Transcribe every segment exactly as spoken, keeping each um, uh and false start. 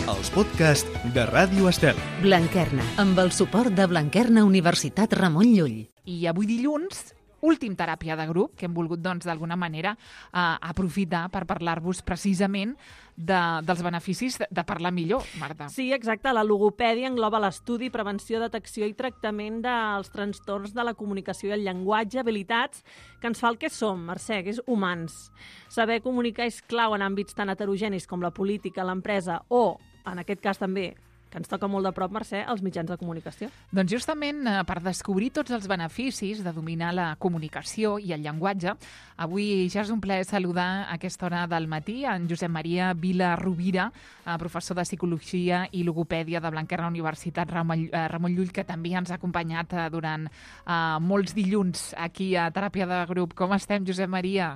els podcasts de Ràdio Estel. Blanquerna, amb el suport de Blanquerna Universitat Ramon Llull. I avui dilluns, últim teràpia de grup, que hem volgut doncs d'alguna manera eh, aprofitar per parlar-vos precisament de, dels beneficis de, de parlar millor, Marta. Sí, exacte. La logopèdia engloba l'estudi, prevenció, detecció i tractament dels trastorns de la comunicació i el llenguatge, habilitats que ens fa el que som, Mercè, que és humans. Saber comunicar és clau en àmbits tan heterogenis com la política, l'empresa o, en aquest cas també, que ens toca molt de prop, Mercè, els mitjans de comunicació. Doncs justament eh, per descobrir tots els beneficis de dominar la comunicació i el llenguatge, avui ja és un plaer saludar a aquesta hora del matí en Josep Maria Vila Rovira, eh, professor de Psicologia i Logopèdia de Blanquerna Universitat Ramon, eh, Ramon Llull, que també ens ha acompanyat eh, durant eh, molts dilluns aquí a Teràpia de Grup. Com estem, Josep Maria?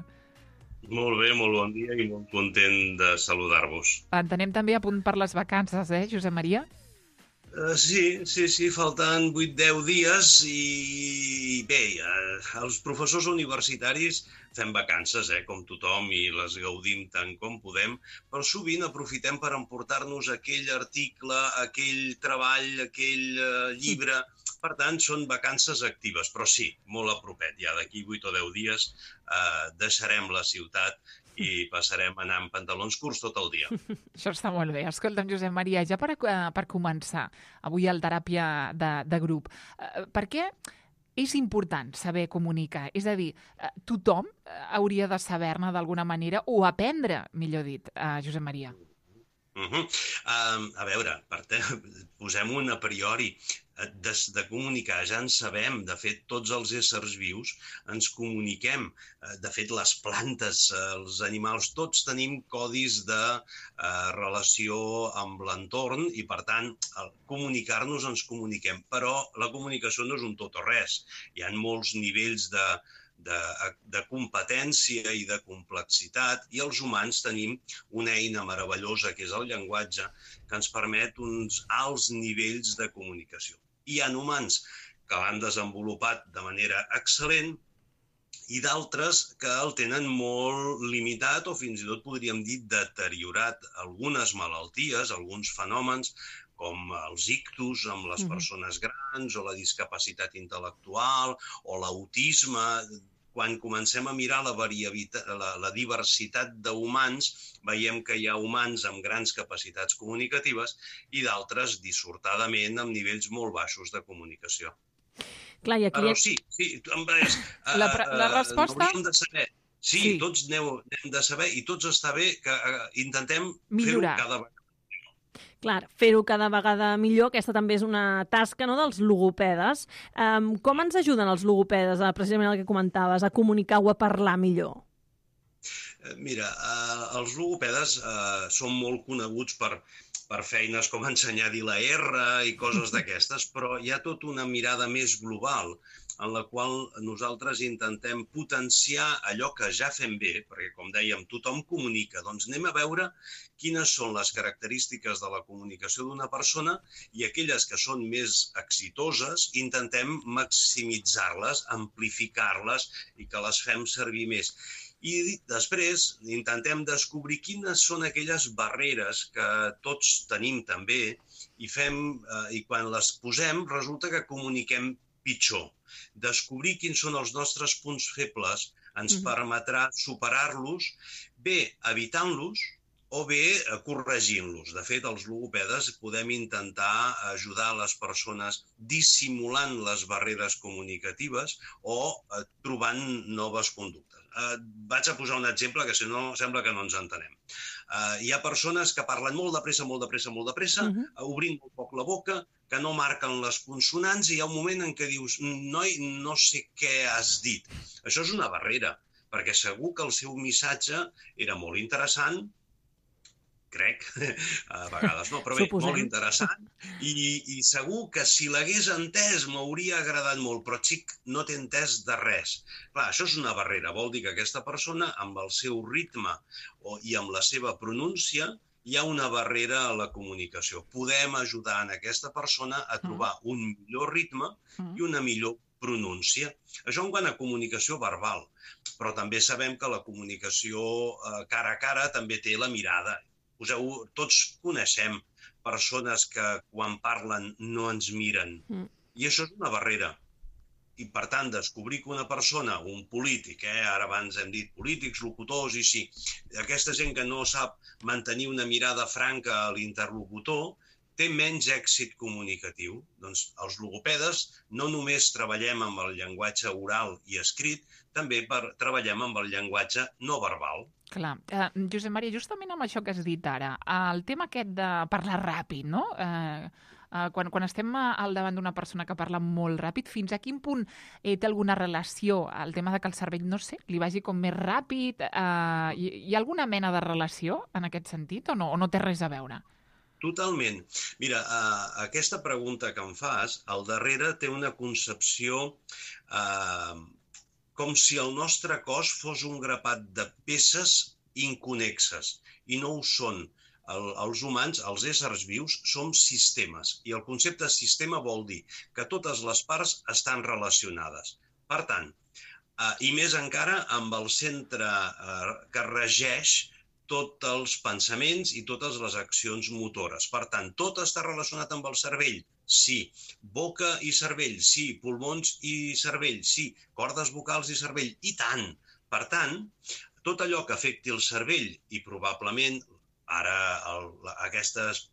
Molt bé, molt bon dia i molt content de saludar-vos. Entenem també a punt per les vacances, eh, Josep Maria? Uh, sí, sí, sí, falten vuit deu dies i bé, uh, els professors universitaris fem vacances, eh, com tothom, i les gaudim tant com podem, però sovint aprofitem per emportar-nos aquell article, aquell treball, aquell uh, llibre. Per tant, són vacances actives, però sí, molt a propet. Ja d'aquí vuit o deu dies eh, deixarem la ciutat i passarem a anar amb pantalons curts tot el dia. Això està molt bé. Escolta'm, Josep Maria, ja per, per començar, avui al teràpia de, de grup, eh, per què és important saber comunicar? És a dir, eh, tothom hauria de saber-ne d'alguna manera o aprendre, millor dit, eh, Josep Maria. Uh -huh. uh, a veure, posem-ho a priori. De, de comunicar ja en sabem. De fet, tots els éssers vius ens comuniquem. De fet, les plantes, els animals, tots tenim codis de eh, relació amb l'entorn i, per tant, al comunicar-nos ens comuniquem. Però la comunicació no és un tot o res. Hi ha molts nivells de De, de competència i de complexitat, i els humans tenim una eina meravellosa que és el llenguatge, que ens permet uns alts nivells de comunicació. Hi ha humans que l'han desenvolupat de manera excel·lent i d'altres que el tenen molt limitat o fins i tot podríem dir deteriorat. Algunes malalties, alguns fenòmens com els ictus amb les persones grans o la discapacitat intel·lectual o l'autisme. Quan comencem a mirar la, la, la diversitat d'humans, veiem que hi ha humans amb grans capacitats comunicatives i d'altres dissortadament amb nivells molt baixos de comunicació. Clar, i aquí... Però sí, sí, és, la, la resposta... Hauríem de saber. Sí, sí. Tots n'hem de saber i tots està bé que uh, intentem fer-ho cada vegada. Clar, fer-ho cada vegada millor, aquesta també és una tasca, no?, dels logopedes. Um, com ens ajuden els logopedes, a, precisament el que comentaves, a comunicar o a parlar millor? Mira, uh, els logopedes uh, són molt coneguts per, per feines com ensenyar a dir la R i coses d'aquestes, però hi ha tota una mirada més global en la qual nosaltres intentem potenciar allò que ja fem bé, perquè, com dèiem, tothom comunica. Doncs anem a veure quines són les característiques de la comunicació d'una persona i aquelles que són més exitoses intentem maximitzar-les, amplificar-les i que les fem servir més. I després intentem descobrir quines són aquelles barreres que tots tenim també i, fem, eh, i quan les posem resulta que comuniquem pitjor. Descobrir quins són els nostres punts febles ens mm-hmm. permetrà superar-los, bé evitant-los o bé corregint-los. De fet, els logopedes podem intentar ajudar les persones dissimulant les barreres comunicatives o eh, trobant noves conductes. Eh, vaig a posar un exemple que si no sembla que no ens entenem. Eh, hi ha persones que parlen molt de pressa, molt de pressa, molt de pressa, uh-huh. obrint molt poc la boca, que no marquen les consonants i hi ha un moment en què dius noi, no sé què has dit. Això és una barrera, perquè segur que el seu missatge era molt interessant, crec, a vegades no, però bé, Suposem. molt interessant, i, i segur que si l'hagués entès m'hauria agradat molt, però xic, no t'he entès de res. Clar, això és una barrera, vol dir que aquesta persona, amb el seu ritme o, i amb la seva pronúncia, hi ha una barrera a la comunicació. Podem ajudar en aquesta persona a trobar un millor ritme i una millor pronúncia. Això en quant a comunicació verbal, però també sabem que la comunicació eh, cara a cara també té la mirada. Poseu, tots coneixem persones que quan parlen no ens miren. Mm. I això és una barrera. I, per tant, descobrir que una persona, un polític, eh, ara abans hem dit polítics, locutors, i sí, aquesta gent que no sap mantenir una mirada franca a l'interlocutor, té menys èxit comunicatiu. Doncs els logopedes no només treballem amb el llenguatge oral i escrit, també per, treballem amb el llenguatge no verbal. Clar. Uh, Josep Maria, justament amb això que has dit ara, el tema aquest de parlar ràpid, no? Uh, uh, quan, quan estem al davant d'una persona que parla molt ràpid, fins a quin punt eh, té alguna relació el tema de que el cervell, no sé, li vagi com més ràpid? Uh, hi, hi ha alguna mena de relació en aquest sentit o no, o no té res a veure? Totalment. Mira, uh, aquesta pregunta que em fas, al darrere té una concepció uh, com si el nostre cos fos un grapat de peces inconnexes, i no ho són. El, els humans, els éssers vius, som sistemes, i el concepte sistema vol dir que totes les parts estan relacionades. Per tant, uh, i més encara amb el centre uh, que regeix tots els pensaments i totes les accions motores. Per tant, tot està relacionat amb el cervell. Sí. Boca i cervell, sí. Pulmons i cervell, sí. Cordes vocals i cervell, i tant. Per tant, tot allò que afecti el cervell, i probablement, ara el, aquestes,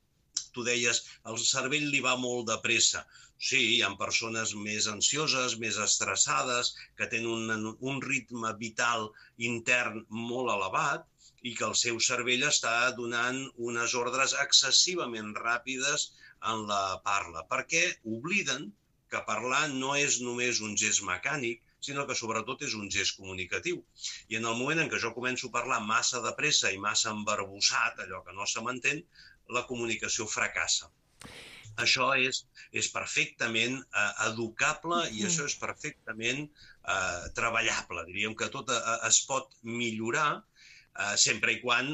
tu deies, el cervell li va molt de pressa. Sí, hi ha persones més ansioses, més estressades, que tenen un, un ritme vital intern molt elevat, i que el seu cervell està donant unes ordres excessivament ràpides en la parla, perquè obliden que parlar no és només un gest mecànic, sinó que sobretot és un gest comunicatiu. I en el moment en què jo començo a parlar massa de pressa i massa embarbussat, allò que no se m'entén, la comunicació fracassa. Això és, és perfectament eh, educable i això és perfectament eh, treballable. Diríem que tot eh, es pot millorar Uh, sempre i quan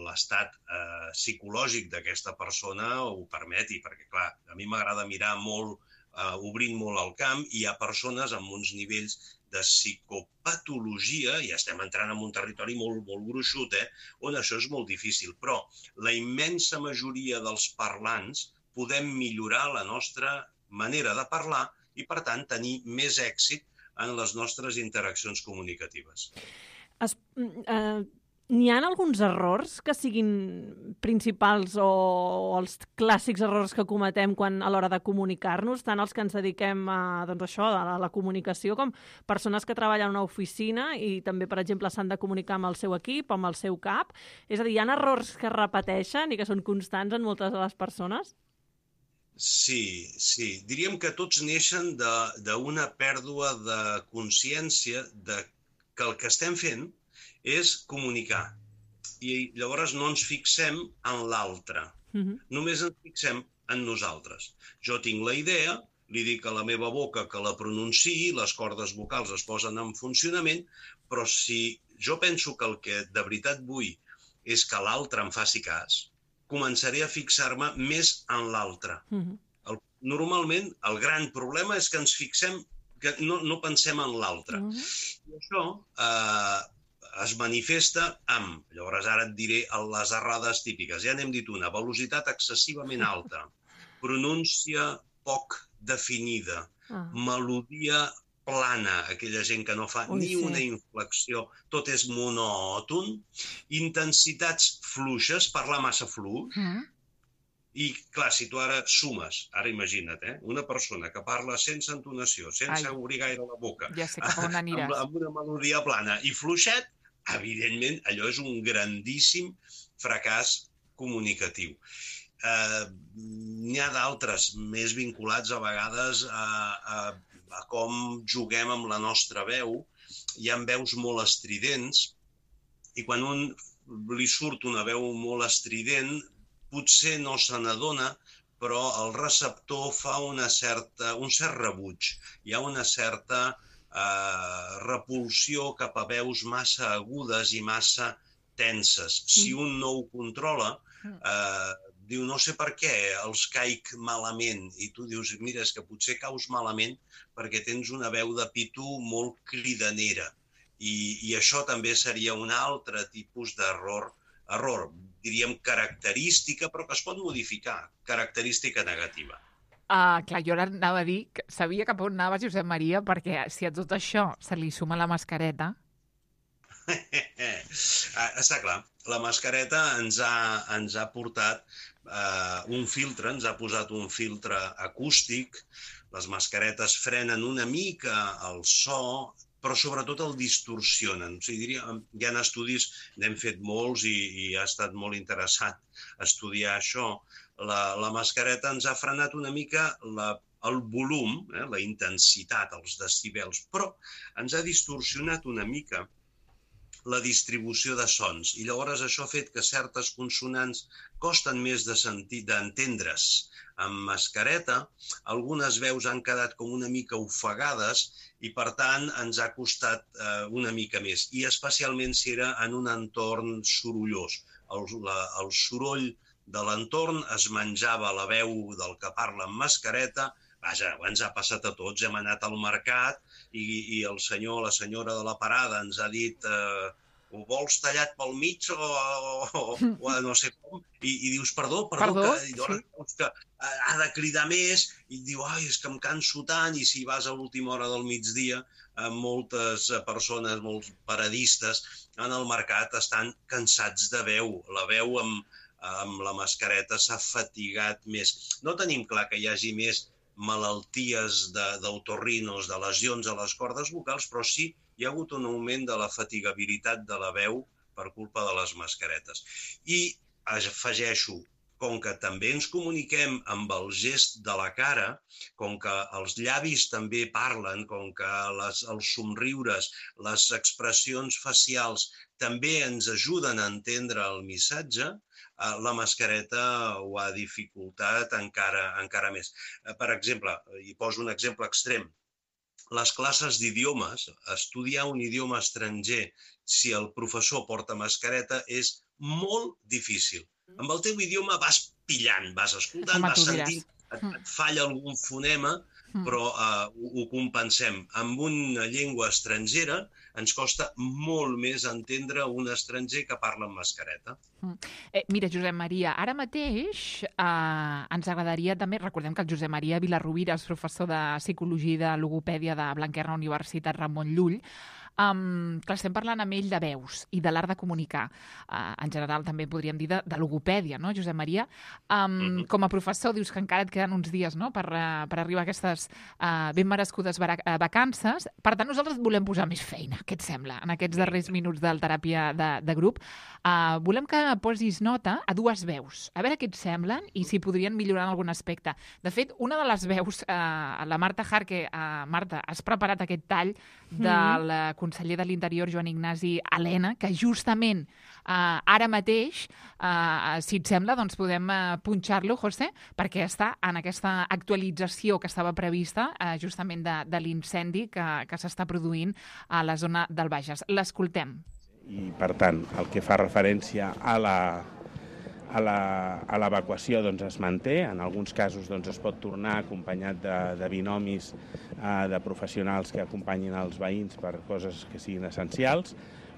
l'estat uh, psicològic d'aquesta persona ho permeti, perquè, clar, a mi m'agrada mirar molt, uh, obrint molt el camp, i hi ha persones amb uns nivells de psicopatologia, i estem entrant en un territori molt, molt gruixut, eh, on això és molt difícil, però la immensa majoria dels parlants podem millorar la nostra manera de parlar i, per tant, tenir més èxit en les nostres interaccions comunicatives. Es, eh... N'hi ha alguns errors que siguin principals o els clàssics errors que cometem quan a l'hora de comunicar-nos, tant els que ens dediquem a, doncs això, a la comunicació, com persones que treballen en una oficina i també, per exemple, s'han de comunicar amb el seu equip, amb el seu cap? És a dir, hi ha errors que es repeteixen i que són constants en moltes de les persones? Sí, sí. Diríem que tots neixen d'una pèrdua de consciència de que el que estem fent és comunicar. I llavors no ens fixem en l'altre. Uh-huh. Només ens fixem en nosaltres. Jo tinc la idea, li dic a la meva boca que la pronunciï, les cordes vocals es posen en funcionament, però si jo penso que el que de veritat vull és que l'altre em faci cas, començaré a fixar-me més en l'altre. Uh-huh. El, normalment, el gran problema és que ens fixem, que no, no pensem en l'altre. Uh-huh. I això eh, es manifesta amb, llavors ara et diré les errades típiques, ja n'hem dit una, velocitat excessivament alta, pronúncia poc definida, ah. melodia plana, aquella gent que no fa Ui, ni sí. una inflexió, tot és monòton, intensitats fluixes, parlar massa fluix, mm. i clar, si tu ara sumes, ara imagina't, eh, una persona que parla sense entonació, sense Ai. obrir gaire la boca, ja sé cap on aniràs. amb, amb una melodia plana i fluixet, evidentment, allò és un grandíssim fracàs comunicatiu. Eh, N'hi ha d'altres més vinculats a vegades a, a, a com juguem amb la nostra veu. Hi ha veus molt estridents i quan un li surt una veu molt estrident potser no se n'adona, però el receptor fa una certa, un cert rebuig. Hi ha una certa Uh, repulsió cap a veus massa agudes i massa tenses. Si un no ho controla, uh, diu, no sé per què els caic malament. I tu dius, mira, és que potser caus malament perquè tens una veu de pito molt cridanera. I, i això també seria un altre tipus d'error. Error, diríem, característica, però que es pot modificar, característica negativa. Uh, clar, jo ara anava a dir que sabia cap on anava Josep Maria, perquè si a tot això se li suma la mascareta... Està clar, la mascareta ens ha, ens ha portat uh, un filtre, ens ha posat un filtre acústic, les mascaretes frenen una mica el so, però sobretot el distorsionen. O sigui, diria, hi ha estudis, n'hem fet molts i, i ha estat molt interessant estudiar això. La, la mascareta ens ha frenat una mica la, el volum, eh, la intensitat, els decibels, però ens ha distorsionat una mica la distribució de sons. I llavors això ha fet que certes consonants costen més de sentir, d'entendre's. Amb mascareta, algunes veus han quedat com una mica ofegades i, per tant, ens ha costat eh, una mica més. I especialment si era en un entorn sorollós. El, la, el soroll de l'entorn es menjava la veu del que parla amb mascareta. Vaja, ens ha passat a tots. Hem anat al mercat i, i el senyor o la senyora de la parada ens ha dit eh, ho vols tallat pel mig o, o, o no sé com, i, i dius perdó, perdó, Perdó, que, i sí. que ha de cridar més i diu, ai, és que em canso tant, i si vas a l'última hora del migdia, eh, moltes persones, molts paradistes en el mercat estan cansats de veu. La veu amb, amb la mascareta s'ha fatigat més. No tenim clar que hi hagi més malalties d'autorrinos, de, de lesions a les cordes vocals, però sí hi ha hagut un augment de la fatigabilitat de la veu per culpa de les mascaretes. I afegeixo, com que també ens comuniquem amb el gest de la cara, com que els llavis també parlen, com que les, els somriures, les expressions facials també ens ajuden a entendre el missatge, la mascareta ho ha dificultat encara, encara més. Per exemple, i poso un exemple extrem, les classes d'idiomes, estudiar un idioma estranger si el professor porta mascareta és molt difícil. Amb el teu idioma vas pillant, vas escoltant, vas sentint, et, et falla algun fonema, però uh, ho, ho compensem. Amb una llengua estrangera ens costa molt més entendre un estranger que parla amb mascareta. Eh, mira, Josep Maria, ara mateix eh, ens agradaria també, recordem que el Josep Maria Vilarrubira és professor de Psicologia i de Logopèdia de Blanquerna Universitat Ramon Llull. Um, clar, estem parlant amb ell de veus i de l'art de comunicar. Uh, en general també podríem dir de, de logopèdia, no, Josep Maria? Um, mm-hmm. Com a professor dius que encara et queden uns dies, no?, per, uh, per arribar a aquestes uh, ben merescudes vacances. Per tant, nosaltres volem posar més feina, què et sembla, en aquests darrers minuts de teràpia de, de grup. Uh, volem que posis nota a dues veus, a veure què et semblen i si podrien millorar en algun aspecte. De fet, una de les veus, uh, la Marta Jarque, uh, Marta, has preparat aquest tall del mm. conseller de l'Interior, Joan Ignasi Elena, que justament eh, ara mateix, eh, si et sembla, doncs podem eh, punxar-lo, José, perquè està en aquesta actualització que estava prevista eh, justament de, de l'incendi que, que s'està produint a la zona del Bages. L'escoltem. I, per tant, el que fa referència a la a la, a l'evacuació doncs, es manté, en alguns casos doncs, es pot tornar acompanyat de, de binomis eh, de professionals que acompanyin els veïns per coses que siguin essencials,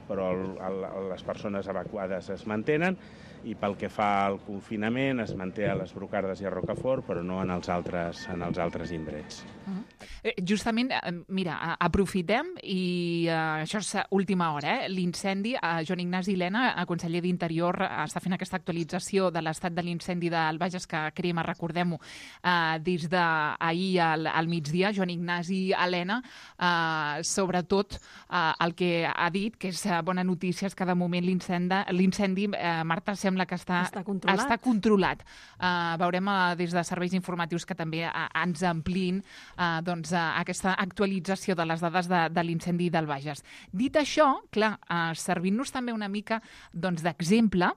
però el, el, les persones evacuades es mantenen i pel que fa al confinament es manté a les Brocardes i a Rocafort, però no en els altres, en els altres indrets. Uh-huh. Eh, justament, eh, mira, aprofitem i eh, això és última hora, eh? L'incendi, eh, Joan Ignasi Elena, el conseller d'Interior, eh, està fent aquesta actualització de l'estat de l'incendi del Bages que crema, recordem-ho, eh, des d'ahir al, al migdia. Joan Ignasi Elena, eh, sobretot eh, el que ha dit, que és bona notícia, és que de moment l'incendi, eh, Marta, sembla que està, està controlat. Està controlat. Uh, veurem uh, des de serveis informatius que també uh, ens amplin uh, doncs, uh, aquesta actualització de les dades de, de l'incendi del Bages. Dit això, clar, uh, servint-nos també una mica doncs, d'exemple,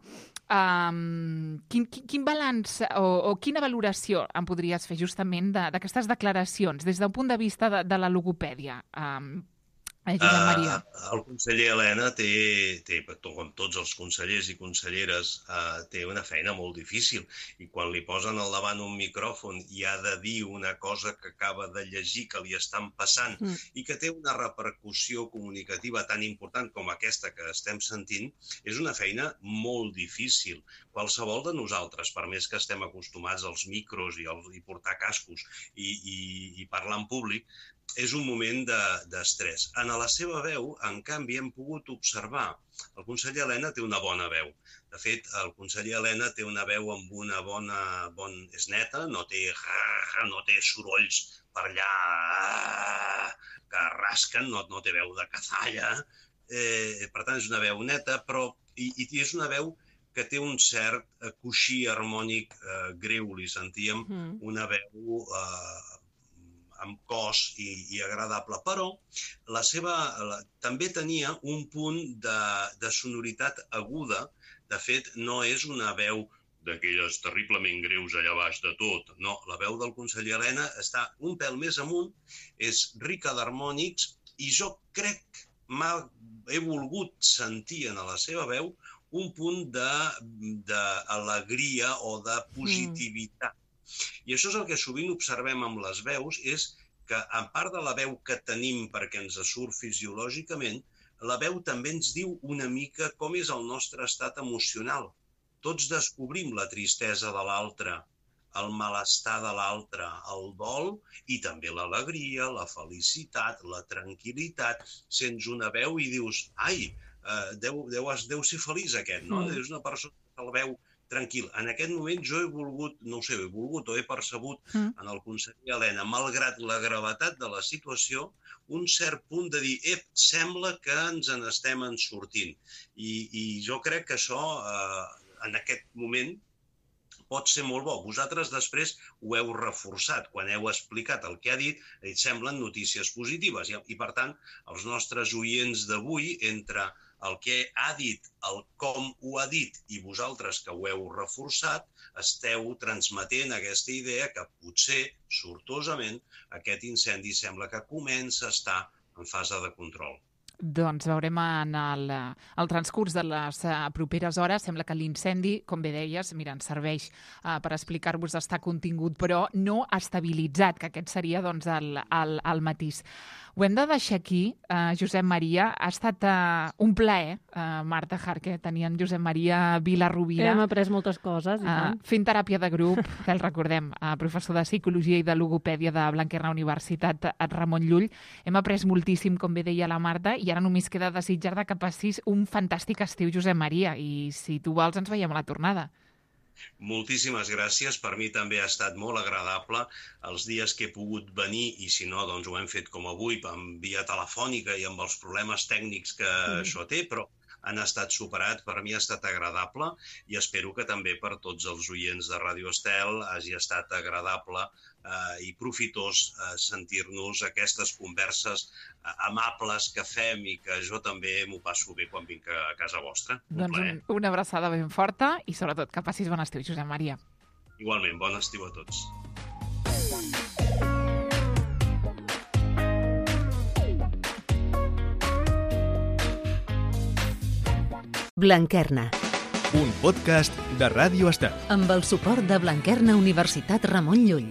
um, quin, quin, quin balanç o, o quina valoració em podries fer justament d'aquestes de, declaracions des d'un punt de vista de, de la logopèdia? Um, Eh, Josep Maria. Uh, el conseller Elena té, té, com tots els consellers i conselleres, uh, té una feina molt difícil i quan li posen al davant un micròfon i ha de dir una cosa que acaba de llegir, que li estan passant mm. i que té una repercussió comunicativa tan important com aquesta que estem sentint, és una feina molt difícil. Qualsevol de nosaltres, per més que estem acostumats als micros i, al, i portar cascos i, i, i parlar en públic, és un moment d'estrès. De, en la seva veu, en canvi, hem pogut observar. El conseller Elena té una bona veu. De fet, el conseller Elena té una veu amb una bona... Bon, és neta, no té, no té sorolls per allà que rasquen, no, no té veu de cazalla. Eh, per tant, és una veu neta, però i, i és una veu que té un cert coixí harmònic eh, greu. Li sentíem mm. una veu... Eh, amb cos i, i agradable, però la seva, la, també tenia un punt de, de sonoritat aguda. De fet, no és una veu d'aquelles terriblement greus allà baix de tot. No, la veu del conseller Elena està un pèl més amunt, és rica d'harmònics i jo crec que he volgut sentir en la seva veu un punt d'alegria o de positivitat. Mm. I això és el que sovint observem amb les veus, és que, a part de la veu que tenim perquè ens surt fisiològicament, la veu també ens diu una mica com és el nostre estat emocional. Tots descobrim la tristesa de l'altre, el malestar de l'altre, el dol i també l'alegria, la felicitat, la tranquil·litat. Sents una veu i dius, ai, deu, deu, deu ser feliç aquest, no? Mm. És una persona que el veu tranquil. En aquest moment jo he volgut, no ho sé, he volgut o he percebut mm. en el conseller Elena, malgrat la gravetat de la situació, un cert punt de dir, ep, sembla que ens en estem en sortint. I, i jo crec que això, eh, en aquest moment, pot ser molt bo. Vosaltres després ho heu reforçat. Quan heu explicat el que ha dit, et semblen notícies positives. I, i per tant, els nostres oients d'avui, entre el que ha dit, el com ho ha dit i vosaltres que ho heu reforçat, esteu transmetent aquesta idea que potser, sortosament, aquest incendi sembla que comença a estar en fase de control. Doncs veurem en el, el transcurs de les uh, properes hores. Sembla que l'incendi, com bé deies, mira, ens serveix uh, per explicar-vos estar contingut, però no estabilitzat, que aquest seria doncs, el, el, el matís. Ho hem de deixar aquí, uh, Josep Maria. Ha estat uh, un plaer, uh, Marta Jarque, tenir en Josep Maria Vila-Rovira. Hem après moltes coses, i tant. Uh, fent teràpia de grup, que el recordem, uh, professor de Psicologia i de Logopèdia de Blanquerna Universitat Ramon Llull. Hem après moltíssim, com bé deia la Marta, i ara només queda desitjar que passis un fantàstic estiu, Josep Maria, i si tu vols ens veiem a la tornada. Moltíssimes gràcies. Per mi també ha estat molt agradable els dies que he pogut venir i si no, doncs ho hem fet com avui, en via telefònica i amb els problemes tècnics que mm. això té, però han estat superats. Per mi ha estat agradable i espero que també per tots els oients de Ràdio Estel hagi estat agradable eh, i profitós eh, sentir-nos aquestes converses eh, amables que fem i que jo també m'ho passo bé quan vinc a casa vostra. Un doncs plaer. Una abraçada ben forta i sobretot que passis bon estiu, Josep Maria. Igualment, bon estiu a tots. Blanquerna. Un podcast de Ràdio Estel. Amb el suport de Blanquerna Universitat Ramon Llull.